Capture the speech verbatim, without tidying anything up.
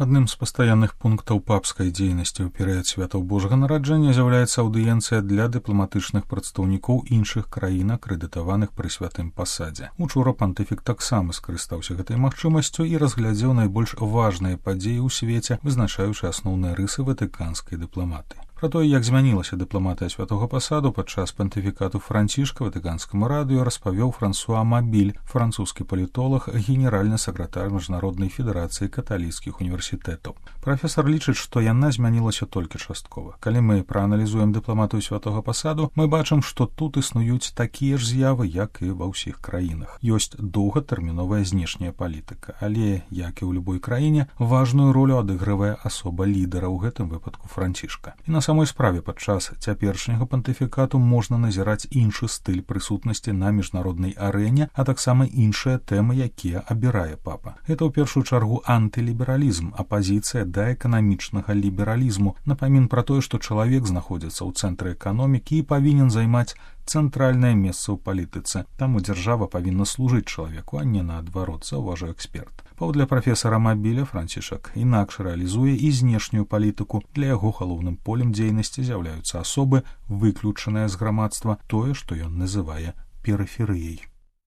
Адным з пастаянных пунктаў папскай дзейнасці ў перыяд святаў Божага нараджэння з'яўляецца аўдыенцыя для дыпламатычных прадстаўнікоў іншых краін, акрэдытаваных пры святым пасадзе. Учора пантыфік таксама скарыстаўся гэтай магчымасцю і разглядзеў найбольш важныя падзеі ў свеце, вызначаючы асноўныя рысы ватыканскай дыпламатыі. Пра тое, як змянілася дыпламатыя святога пасаду падчас пантыфікату Францішка ватыканскаму радыё распавёў Франсуа Мабіль, французскі палітолог, генеральны сакратар Міжнароднай федэрацыі каталіцкіх універсітэтаў. Прафесар лічыць, што яна змянілася толькі часткова. Калі мы прааналізуем дыпламатыю святога пасаду, мы бачым, што тут існуюць такія ж з'явы, як і ва ўсіх краінах. Ёсць доўгатэрміновая знешняя палітыка, але, як і ў любой краіне, важную ролю адыгрывае асоба лідара, у гэтым выпадку Францішка. І на самой справе падчас цяперашняга пантыфікату можна назіраць іншы стыль прысутнасці на міжнароднай арэне, а таксама іншыя тэмы, якія абірае папа. Гэта ў першую чаргу антылібералізм, апазіцыя да эканамічнага лібералізму, напамін пра тое, што чалавек знаходзіцца ў цэнтры эканомікі і павінен займаць цэнтральнае месца ў палітыцы. Таму дзяржава павінна служыць чалавеку, а не наадварот, заўважыў эксперт. Паводле прафесара Мабіля, Францішак інакш рэалізуе і знешнюю палітыку. Для яго галоўным полем дзейнасці з'яўляюцца асобы, выключаныя з грамадства, тое, што ён называе перыферыяй.